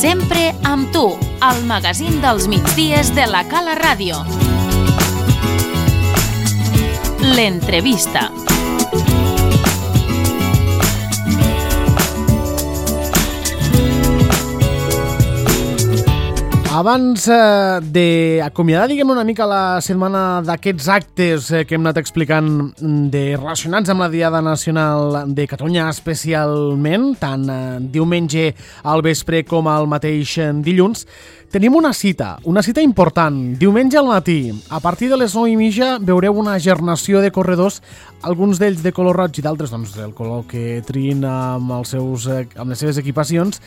Sempre amb tu, al magazín dels migdies de la Cala Ràdio. L'entrevista. Abans d'acomiadar, una mica la setmana d'aquests actes que hem anat explicant relacionats amb la Diada Nacional de Catalunya especialment, tant diumenge al vespre com al mateix dilluns, tenim una cita important. Diumenge al matí, a partir de les 9:30, veureu una gernació de corredors, alguns d'ells de color roig i d'altres del color que triïn amb les seves equipacions,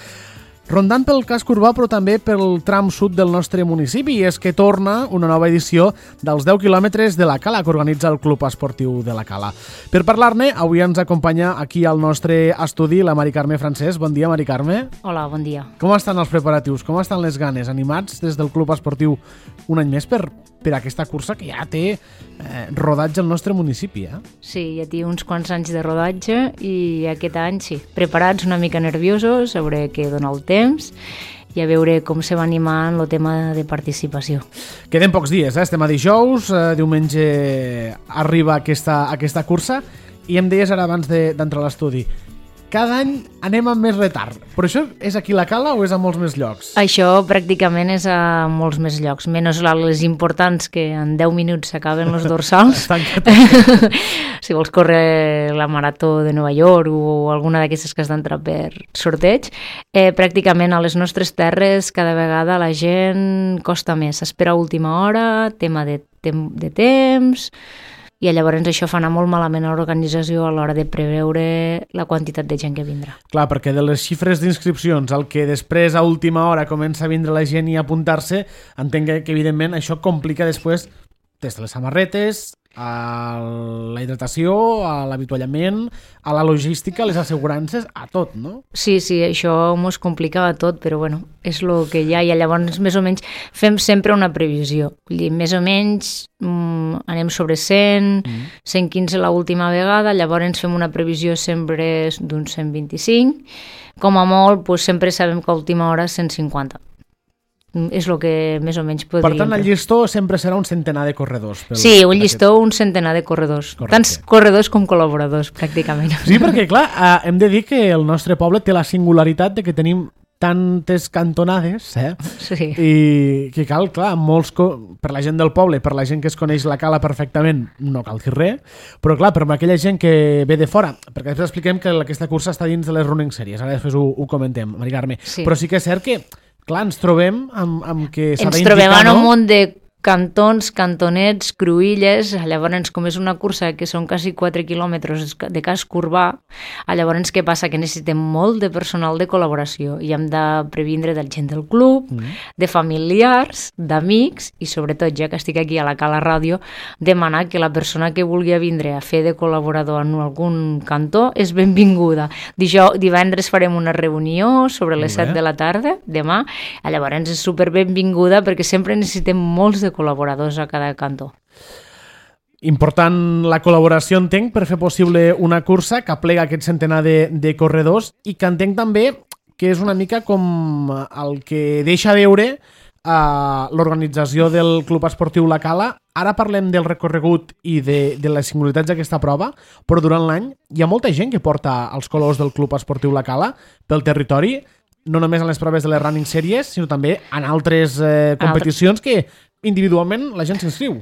rondant pel casc urbà però també pel tram sud del nostre municipi, i és que torna una nova edició dels 10 quilòmetres de la Cala que organitza el Club Esportiu de la Cala. Per parlar-ne, avui ens acompanya aquí al nostre estudi la Mari Carme Francesc. Bon dia, Mari Carme. Hola, bon dia. Com estan els preparatius? Com estan les ganes? Animats des del Club Esportiu un any més per aquesta cursa que ja té rodatge al nostre municipi, eh? Sí, ja té uns quants anys de rodatge i aquest any sí, preparats, una mica nerviosos, a veure què dona el temps i a veure com se va animant el tema de participació. Queden pocs dies, estem a dijous, diumenge arriba aquesta cursa i em deies ara abans d'entrar a l'estudi, cada any anem amb més retard. Però això és aquí a la Cala o és a molts més llocs? Això pràcticament és a molts més llocs, menys les importants que en 10 minuts s'acaben els dorsals. Si vols córrer la marató de Nova York o alguna d'aquestes que has d'entrar per sorteig, pràcticament a les nostres terres cada vegada la gent costa més. S'espera a última hora, tema de temps, i llavors això fa anar molt malament a l'organització a l'hora de preveure la quantitat de gent que vindrà. Clar, perquè de les xifres d'inscripcions al que després a última hora comença a vindre la gent i a apuntar-se, entenc que evidentment això complica després des de les samarretes, a la hidratació, a l'avituallament, a la logística, a les assegurances, a tot, no? Sí, això mos complicava tot, però bueno, és el que hi ha, i llavors més o menys fem sempre una previsió. Més o menys anem sobre 100, 115 l'última vegada, llavors fem una previsió sempre d'uns 125, com a molt sempre sabem que a última hora 150. És el que més o menys podríem... Per tant, el llistó sempre serà un centenar de corredors. Sí, un llistó, un centenar de corredors. Correcte. Tants corredors com col·laboradors, pràcticament. Sí, perquè, clar, hem de dir que el nostre poble té la singularitat de que tenim tantes cantonades, Sí. I que cal, clar, per la gent del poble, per la gent que es coneix la Cala perfectament, no cal dir res, però clar, per aquella gent que ve de fora, perquè després expliquem que aquesta cursa està dins de les running series, ara després ho comentem, Mari Carme, sí. Però sí que és cert que clar, ens trobem amb que s'ha d'indicar, no? Ens trobem en un munt de cantons, cantonets, cruïlles, llavors com és una cursa que són quasi 4 quilòmetres de casc urbà, llavors què passa? Que necessitem molt de personal de col·laboració i hem de previndre de gent del club, de familiars, d'amics i sobretot, ja que estic aquí a la Cala Ràdio, demanar que la persona que vulgui vindre a fer de col·laborador en algun cantó és benvinguda. Divendres farem una reunió sobre les 7 de la tarda, demà, llavors és super benvinguda perquè sempre necessitem molts de col·laboradors a cada cantó. Important la col·laboració, entenc, per fer possible una cursa que aplega aquest centenar de corredors i que entenc també que és una mica com el que deixa veure l'organització del Club Esportiu La Cala. Ara parlem del recorregut i de les singularitats d'aquesta prova, però durant l'any hi ha molta gent que porta els colors del Club Esportiu La Cala pel territori, no només en les proves de les running series, sinó també en altres competicions que individualment la gent s'inscriu.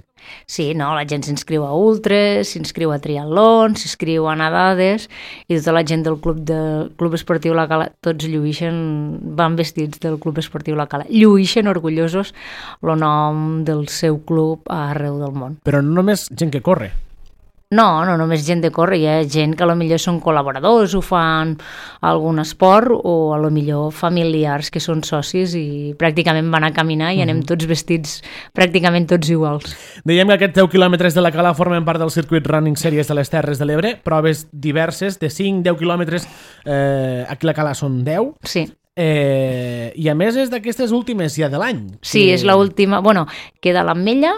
Sí, la gent s'inscriu a ultres, s'inscriu a triatlons, s'inscriu a nedades i tota la gent del Club Esportiu La Cala, tots van vestits del Club Esportiu La Cala, lluïxen orgullosos el nom del seu club arreu del món. Però no només gent que corre. No només gent de córrer, hi ha gent que potser són col·laboradors o fan algun esport o potser familiars que són socis i pràcticament van a caminar i anem tots vestits pràcticament tots iguals. Dèiem que aquests 10 quilòmetres de la Cala formen part del circuit Running Series de les Terres de l'Ebre, proves diverses de 5-10 quilòmetres, aquí a la Cala són 10. Sí. I a més és d'aquestes últimes ja de l'any. Sí, és l'última. Queda l'Ametlla,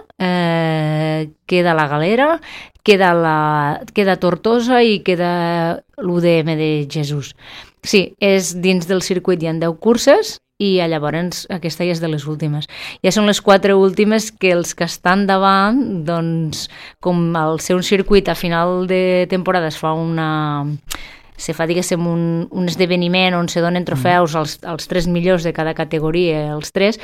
queda la Galera, queda Tortosa i queda l'UDM de Jesús. Sí, és dins del circuit, hi ha 10 curses i llavors aquesta ja és de les últimes. Ja són les 4 últimes que els que estan davant, doncs, com al ser un circuit a final de temporada se fa, diguéssim, un esdeveniment on se donen trofeus als 3 millors de cada categoria, els 3,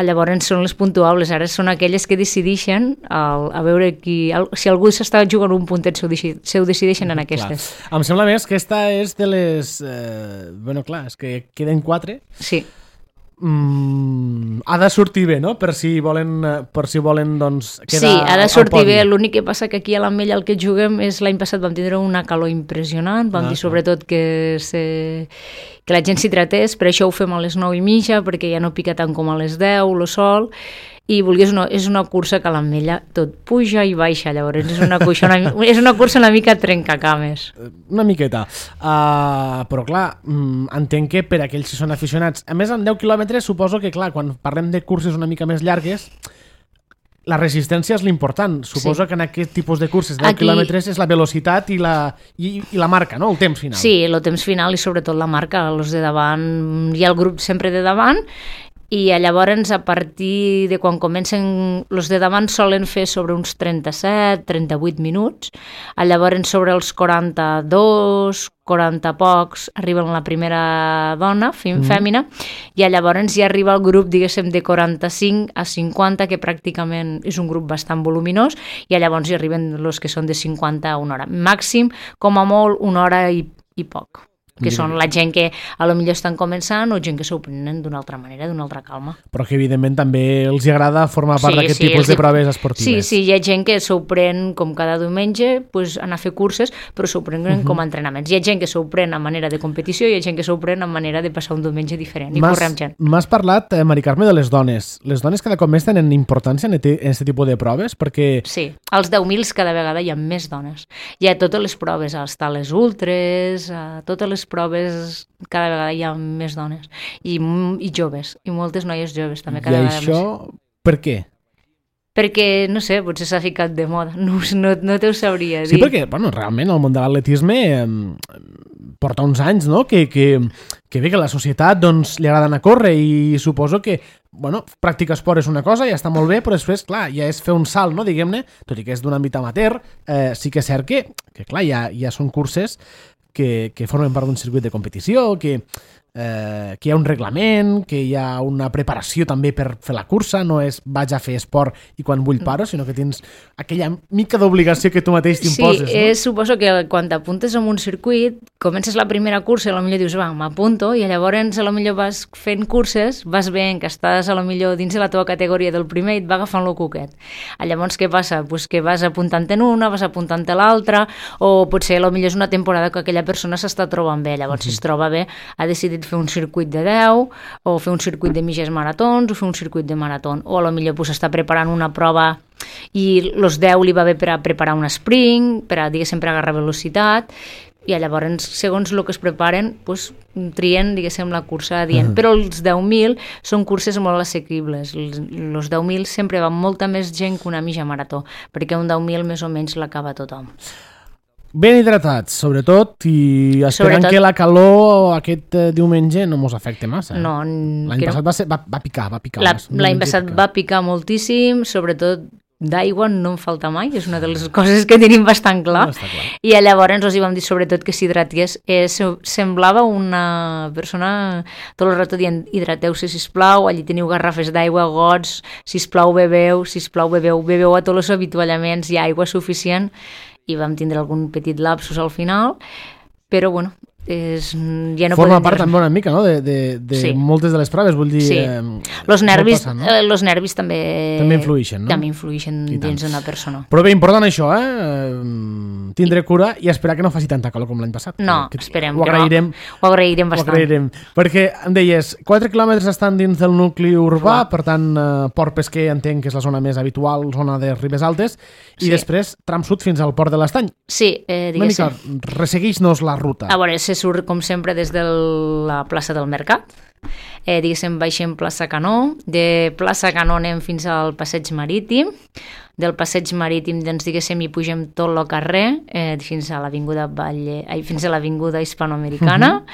llavors són les puntuables, ara són aquelles que decideixen a veure si algú s'està jugant un puntet, se ho decideixen en aquestes. Clar. Em sembla més que aquesta és de les... bueno, clar, és que queden 4. Sí. Ha de sortir bé, no? Per si volen doncs, quedar sí, ha de sortir al podi. bé. L'únic que passa que aquí a l'Ametlla el que juguem és l'any passat vam tindre una calor impressionant, vam dir sobretot que la gent s'hidratés, per això ho fem a les 9:30 perquè ja no pica tant com a les 10 el sol, i vulguis no, és una cursa que a l'Ametlla tot puja i baixa, llavors és una cursa una mica trencacames. Una miqueta. Però clar, entenc que per aquells que són aficionats, a més en 10 quilòmetres suposo que clar, quan parlem de curses una mica més llargues, la resistència és l'important. Suposo que en aquest tipus de curses de 10 quilòmetres és la velocitat i la marca, no? El temps final. Sí, el temps final i sobretot la marca. Els de davant, hi ha el grup sempre de davant, i llavors a partir de quan comencen els de davant solen fer sobre uns 37-38 minuts, llavors sobre els 42, 40 pocs arriben la primera dona, fèmina, i llavors ja arriba el grup, diguéssim, de 45 a 50, que pràcticament és un grup bastant voluminós, i llavors hi arriben els que són de 50 a una hora. Màxim, com a molt, una hora i poc, que són la gent que a lo millor estan començant o gent que s'ho prenen d'una altra manera, d'una altra calma. Però que evidentment també els agrada formar part d'aquest tipus de proves esportives. Sí, hi ha gent que s'ho pren com cada diumenge, pues, anar a fer curses, però s'ho prenen com a entrenaments. Hi ha gent que s'ho pren a manera de competició i hi ha gent que s'ho pren a manera de passar un diumenge diferent i córrer amb gent. M'has parlat, Mari Carme, de les dones. Les dones cada cop més tenen importància en aquest tipus de proves? Perquè... Sí, als 10.000 cada vegada hi ha més dones. Hi ha totes les proves, els tales ultres, totes les proves, cada vegada hi ha més dones i joves, i moltes noies joves també cada vegada més. I això per què? Perquè, no sé, potser s'ha ficat de moda, no t'ho sabria dir. Sí, perquè, bueno, realment el món de l'atletisme porta uns anys, no?, que bé que la societat doncs, li agrada anar a córrer i suposo que, bueno, practicar esport és una cosa, ja està molt bé, però després, clar, ja és fer un salt, no?, diguem-ne, tot i que és d'un àmbit amateur, sí que és cert que clar, ja són curses que formen part d'un circuit de competició, que hi ha un reglament, que hi ha una preparació també per fer la cursa, no és vaig a fer esport i quan vull paro, sinó que tens aquella mica d'obligació que tu mateix t'imposes. Sí, suposo que quan t'apuntes en un circuit, comences la primera cursa i potser dius, va, m'apunto, i llavors potser vas fent curses, vas veient que estàs potser dins de la teva categoria del primer i et va agafant el cuquet. Llavors què passa? Pues que vas apuntant en una, vas apuntant a l'altra, o potser potser és una temporada que aquella persona s'està trobant bé, llavors si es troba bé ha decidit fer un circuit de 10, o fer un circuit de mitges maratons, o fer un circuit de marató, o potser pues, està preparant una prova i els 10 li va bé per a preparar un sprint, per a, diguéssim, per agarrar velocitat, i llavors, segons el que es preparen, pues, trien, diguéssim, la cursa adient. Però els 10.000 són curses molt assequibles. Els 10.000 sempre va molta més gent que una mitja marató, perquè un 10.000 més o menys l'acaba tothom. Ben hidratats, sobretot, i esperant que la calor aquest diumenge no mos afecte massa. No. L'any passat va picar. L'any passat va picar moltíssim, sobretot d'aigua no en falta mai, és una de les coses que tenim bastant clar. I llavors els hi vam dir sobretot que s'hidratés. Semblava una persona tot el rato dient hidrateu-se, sisplau, allí teniu garrafes d'aigua, gots, sisplau, beveu a tots els avituallaments, hi ha aigua suficient, i vam tindre algun petit lapsus al final, però bueno, ja no forma part també una mica, no?, de moltes de les proves, vull dir... Sí, els nervis també influïixen, no? També influïixen dins d'una persona. Però bé, important això, tindre cura i esperar que no faci tanta calor com l'any passat. No, esperem que no. Ho agrairem bastant. Ho agrairem, perquè em deies, 4 quilòmetres estan dins del nucli urbà, per tant, Port Pesquer entenc que és la zona més habitual, zona de Ribes Altes, i després tram sud fins al Port de l'Estany. Sí, diguéssim. Una mica, ressegueix-nos la ruta. A veure, se surt com sempre des de la plaça del Mercat, diguéssim baixem plaça Canó, de plaça Canó anem fins al passeig marítim, del passeig marítim, doncs, diguéssim, hi pugem tot el carrer fins a l'avinguda Hispanoamericana.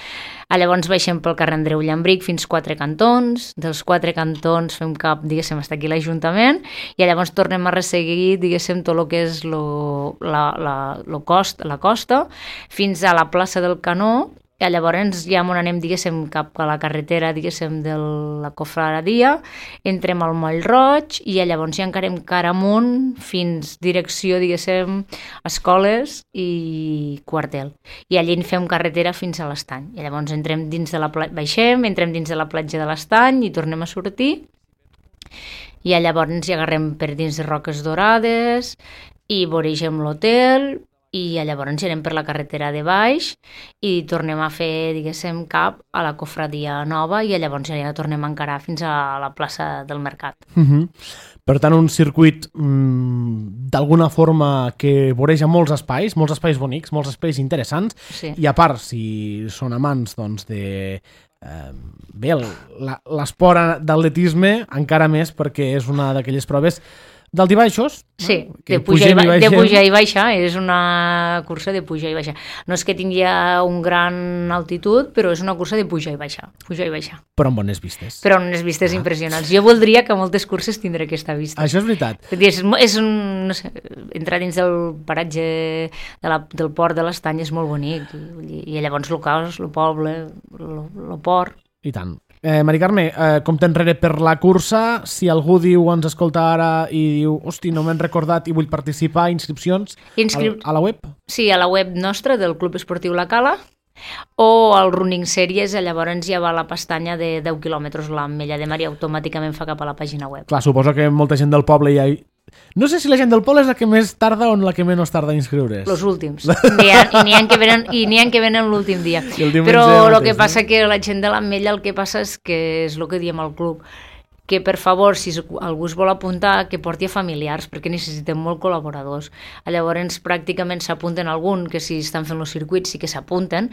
Llavors baixem pel carrer Andreu Llambric fins 4 cantons, dels 4 cantons fem cap, diguéssim, fins aquí l'Ajuntament, i llavors tornem a resseguir, diguéssim, tot el que és la costa, fins a la plaça del Canó, i llavors ja on anem, diguéssim, cap a la carretera, diguéssim, de la Cofradia, entrem al Moll Roig i llavors ja encarem cara amunt fins direcció, diguéssim, escoles i quartel. I allí en fem carretera fins a l'Estany. I llavors entrem dins de la baixem, entrem dins de la platja de l'Estany i tornem a sortir. I llavors ja agarrem per dins de Roques Dorades i voregem l'hotel, i llavors anem per la carretera de baix i tornem a fer, diguéssim, cap a la Cofradia Nova i llavors ja tornem a encarar fins a la plaça del Mercat. Per tant, un circuit d'alguna forma que voreja molts espais bonics, molts espais interessants, sí. I a part, si són amants doncs, de l'esport d'atletisme, encara més perquè és una d'aquelles proves d'alt i baixos. Sí, de pujar i baixar, és una cursa de pujar i baixar. No és que tingui un gran altitud, però és una cursa de pujar i baixar. Però amb bones vistes. Impressionants. Jo voldria que moltes curses tindré aquesta vista. Això és veritat. És no sé, entrar dins del paratge del port de l'Estany és molt bonic, i llavors el caos, el poble, el port. I tant. Mari Carme, compte enrere per la cursa, si algú ens escolta ara i diu, hosti, no m'he recordat i vull participar, inscripcions a la web? Sí, a la web nostra del Club Esportiu La Cala, o al Running Series, llavors ja va a la pestanya de 10 quilòmetres l'Ametlla de Mar i automàticament fa cap a la pàgina web. Clar, suposo que molta gent del poble ja... No sé si la gent del poble és la que més tarda o la que menys tarda a inscriure's. Els últims. N'hi ha que venen l'últim dia. Però el que passa que la gent de l'Ametlla, el que passa és que és el que diem al club, que per favor, si algú es vol apuntar, que porti a familiars, perquè necessitem molt col·laboradors. Llavors pràcticament s'apunten algun, que si estan fent els circuits sí que s'apunten,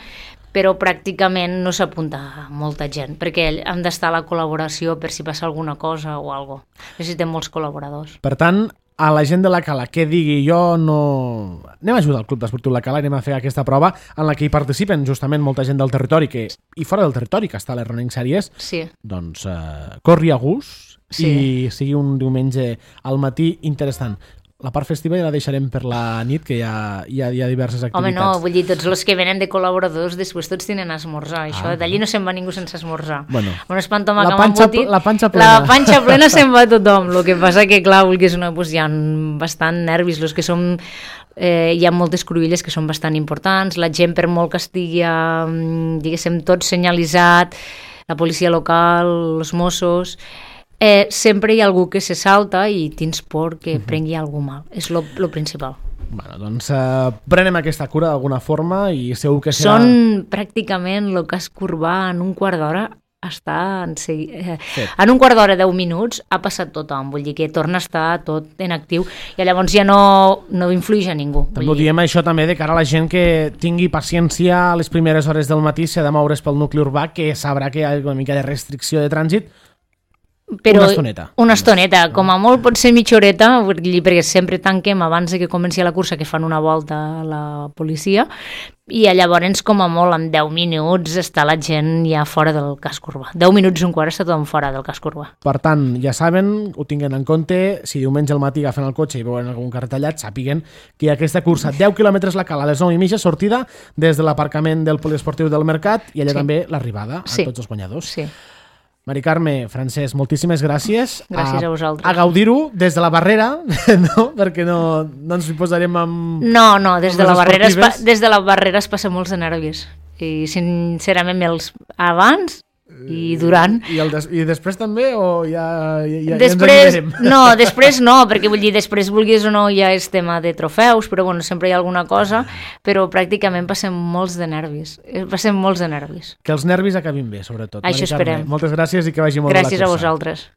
però pràcticament no s'apunta molta gent, perquè hem d'estar a la col·laboració per si passa alguna cosa o alguna cosa. Necessitem molts col·laboradors. Per tant, a la gent de la Cala que digui jo no... Anem a ajudar al Club Esportiu La Cala, anem a fer aquesta prova en la que hi participen justament molta gent del territori i fora del territori que està a les Running Series, sí. Doncs corri a gust, sí. I sigui un diumenge al matí interessant. La part festiva ja la deixarem per la nit, que hi ha diverses activitats. Home, no, vull dir, tots els que venen de col·laboradors després tots tenen a esmorzar, això. D'allí no se'n va ningú sense esmorzar. Bueno, un espantoma la panxa plena se'n va tothom. El que passa que, clar, hi ha bastant nervis, els que som... hi ha moltes cruïlles que són bastant importants, la gent per molt que estigui, diguéssim, tot senyalitzat, la policia local, els Mossos... sempre hi ha algú que se salta i tens por que prengui algú mal. És lo principal. Bueno, doncs prenem aquesta cura d'alguna forma i segur que serà... Són pràcticament el casc urbà en un quart d'hora en un quart d'hora, 10 minuts, ha passat tothom, vull dir que torna a estar tot en actiu i llavors ja no influeix a ningú. També diem això també de cara a la gent que tingui paciència a les primeres hores del matí, si ha de moure's pel nucli urbà, que sabrà que hi ha una mica de restricció de trànsit, però una estoneta, com a molt pot ser mitja horeta, perquè sempre tanquem abans que comenci la cursa, que fan una volta a la policia, i llavors com a molt en 10 minuts està la gent ja fora del casc urbà. 10 minuts i un quart està tothom fora del casc urbà. Per tant, ja saben, ho tinguen en compte, si diumenge al matí agafen el cotxe i veuen algun cartellat, sàpiguen que hi ha aquesta cursa 10 quilòmetres la Cala, a les 9:30, sortida des de l'aparcament del poliesportiu del Mercat i allà també l'arribada a tots els guanyadors. Sí. Mari Carme, Francesc, moltíssimes gràcies. Gràcies a vosaltres. A gaudir-ho des de la barrera, no? Perquè no ens hi posarem amb... No, des de la barrera es passa molts de nervis. I sincerament abans i durant. I després també o ja després, ens anirem? No, després no, perquè vull dir, després vulguis o no ja és tema de trofeus, però bueno, sempre hi ha alguna cosa, però pràcticament passem molts de nervis. Que els nervis acabin bé, sobretot. Això esperem. Moltes gràcies i que vagi molt bé la cursa. Gràcies a vosaltres.